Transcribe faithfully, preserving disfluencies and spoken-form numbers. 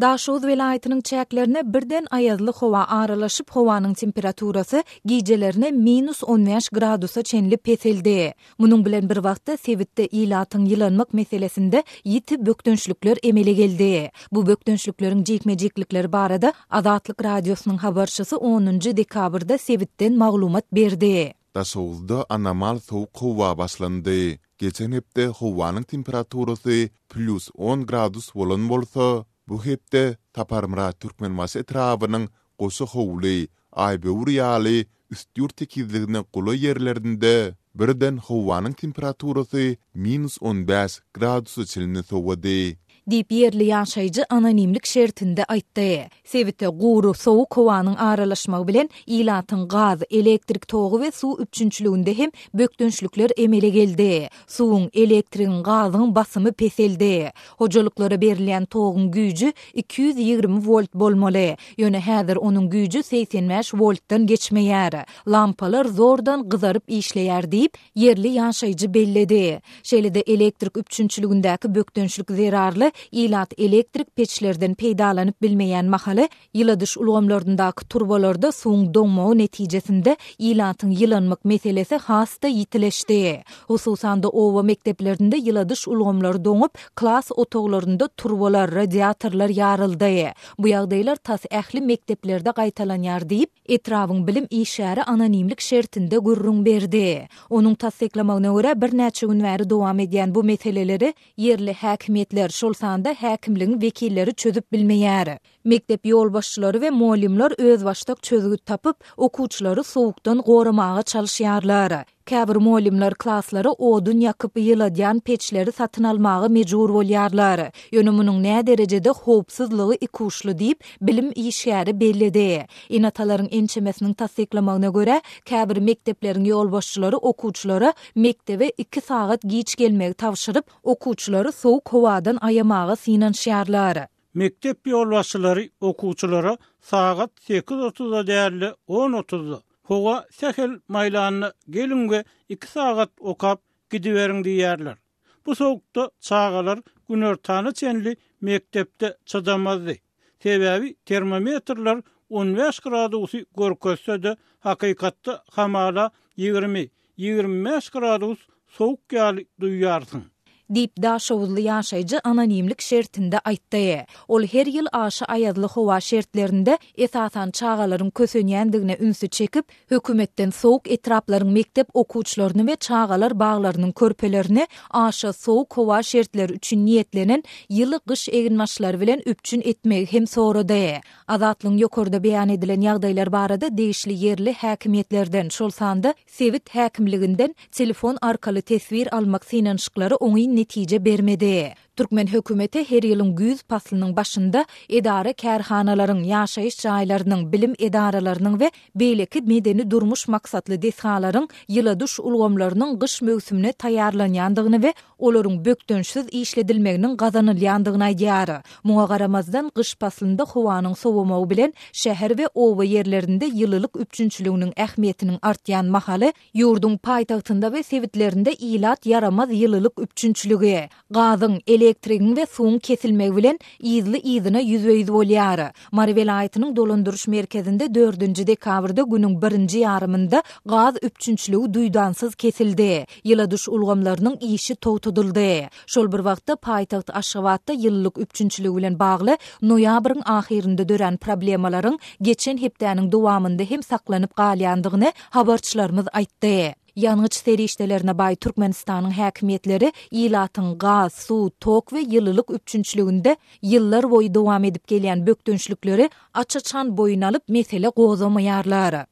Daşoguz welaýatynyň çäklerine birden aýazly howa aralaşyp, howanyň temperaturasy gijelerine minus on bäş gradusa çenli peseldi. Munuň bilen bir wagtda, sebitde ilatyň ýylanmak meselesinde ýiti bökdençlikler emele geldi. Bu bökdençlikleriň jikme-jiklikleri barada Azatlyk Radiosynyň habarçysy onunjy dekabrda sebitden maglumat berdi. Daşoguzda anomal sowuk howa başlandy. Geçen hepde howanyň temperaturasy plýus on gradus bolan bolsa, bu hepde Saparmyrat Türkmenbaşy etrabynyň Goşa howly, Aýböwür ýaly Üstýurt tekizligine golaý ýerlerinde birden howanyň temperaturasy minus on bäş gradusa çenli sowady. Diýip, ýerli ýaşaýjy anonimlik şertinde aýtdy. Sebite gury, sowuk howanyň aralaşmagy bilen ilatyň gaz, elektrik togy we suw üpjünçiliginde hem bökdençlikler emele geldi. Suwuň, elektrigiň, gazyň basymy peseldi. Hojalyklara berilýän toguň güýji iki ýüz ýigrimi wolt bolmaly. Ýöne häzir onuň güýji segsen bäş woltdan geçmeýär. Lampalar zordan gyzaryp işleýär diýip, ýerli ýaşaýjy belledi. Şeýle-de elektrik üpjünçiligindäki bökdençlik zerarly ilat elektrik peçlerden peýdalanyp bilmeýän mahaly ýyladyş ulgamlaryndaky turbalarda suwuň doňmagy netijesinde ilatyň ýylanmak meselesi has-da ýitileşdi. Hususan-da oba mekdeplerinde ýyladyş ulgamlary doňup, klas otaglarynda turbalar, radiatorlar ýaryldy. Bu ýagdaýlar tas ähli mekdeplerde gaýtalanýar diýip, etrabyň bilim işgäri anonimlik şertinde gürrüň berdi. Onuň tassyklamagyna görä, birnäçe gün bäri dowam edýän bu meseleleri ýerli häkimiýetler, şol sanda häkimligiň wekilleri çözüp bilmeýär. Mekdep ýolbaşçylary we mugallymlar özbaşdak çözgüt tapyp, okuwçylary sowukdan goramaga çalyşýarlar. Käbir mugallymlar klaslara odun ýakyp ýyladýan peçleri satyn almaga mejbur bolýarlar. Ýöne munuň näderejede howpsuzlygy ikuçly diýip, bilim işgäri belledi. Ene-atalaryň ençemesiniň tassyklamagyna görä, käbir mekdepleriň ýolbaşçylary okuwçylara mekdebe iki sagat giç gelmegi tabşyryp, okuwçylary sowuk howadan aýamaga synanyşýarlar. Mekdep ýolbaşçylary okuwçylara sagat sekiz otuzda däl-de on otuzda, howa sähel maýlanda geliň we iki sagat okap gidiberiň diýýärler. Bu sowukda çagalar günortana çenli mekdepde çydamazdy. Sebäbi termometrler on bäş gradusy görkezse-de, hakykatda hamala ýigrimi, ýigrimi bäş gradus sowuk ýaly duýýarsyň. Diýip, daşoguzly ýaşaýjy anonimlik şertinde aýtdy. Ol her ýyl aşa aýazly howa şertlerinde esasan çagalaryň kösenýändigine ünsi çekip, hökümetden sowuk etraplaryň mekdep okuwçylaryny we çagalar baglarynyň körpelerini aşa sowuk howa şertleri üçin niýetlenen ýyly gyş eginbaşlary bilen üpjün etmegi hem sorady. Azatlygyň ýokarda beýan edilen ýagdaýlar barada degişli ýerli häkimiýetlerden, şol sanda sebit häkimliginden telefon arkaly teswir almak synanyşyklary oňyn netije bermedi. Türkmen hökümeti her ýylyň güýz paslynyň başynda edara-kärhanalaryň, ýaşaýyş jaýlarynyň, bilim edaralarynyň we beýleki medeni-durmuş maksatly desgalaryň ýyladyş ulgamlarynyň gyş möwsümine taýýarlanýandygyny we olaryň bökdençsiz işledilmeginiň gazanylýandygyny aýdýar. Muňa garamazdan, gyş paslynda howanyň sowamagy bilen şäher we oba ýerlerinde ýylylyk üpjünçiliginiň ähmiýetiniň artýan mahaly, ýurduň paýtagtynda we sebitlerinde ilat ýaramaz ýylylyk üpjünçiligi, gazyň, elektrigiň we suwuň kesilmegi bilen yzly-yzyna ýüzbe-ýüz bolýar. Mary welaýatynyň dolandyryş merkezinde dördünji dekabrda günüň birinji ýarymynda gaz üpjünçiligi duýdansyz kesildi, ýyladyş ulgamlarynyň işi togtadyldy. Şol bir wagtda, paýtagt Aşgabatda ýylylyk üpjünçiligi bilen bagly noýabryň ahyrynda dörän problemalaryň geçen hepdäniň dowamynda hem saklanyp galýandygyny habarçylarymyz aýtdy. Ýangyç serişdelerine baý Türkmenistanyň häkimiýetleri ilatyň gaz, suw, tok we ýylylyk üpjünçiliginde ýyllar boýy dowam edip gelýän bökdençlikleri aç-açan boýun alyp, mesele gozgamaýarlar.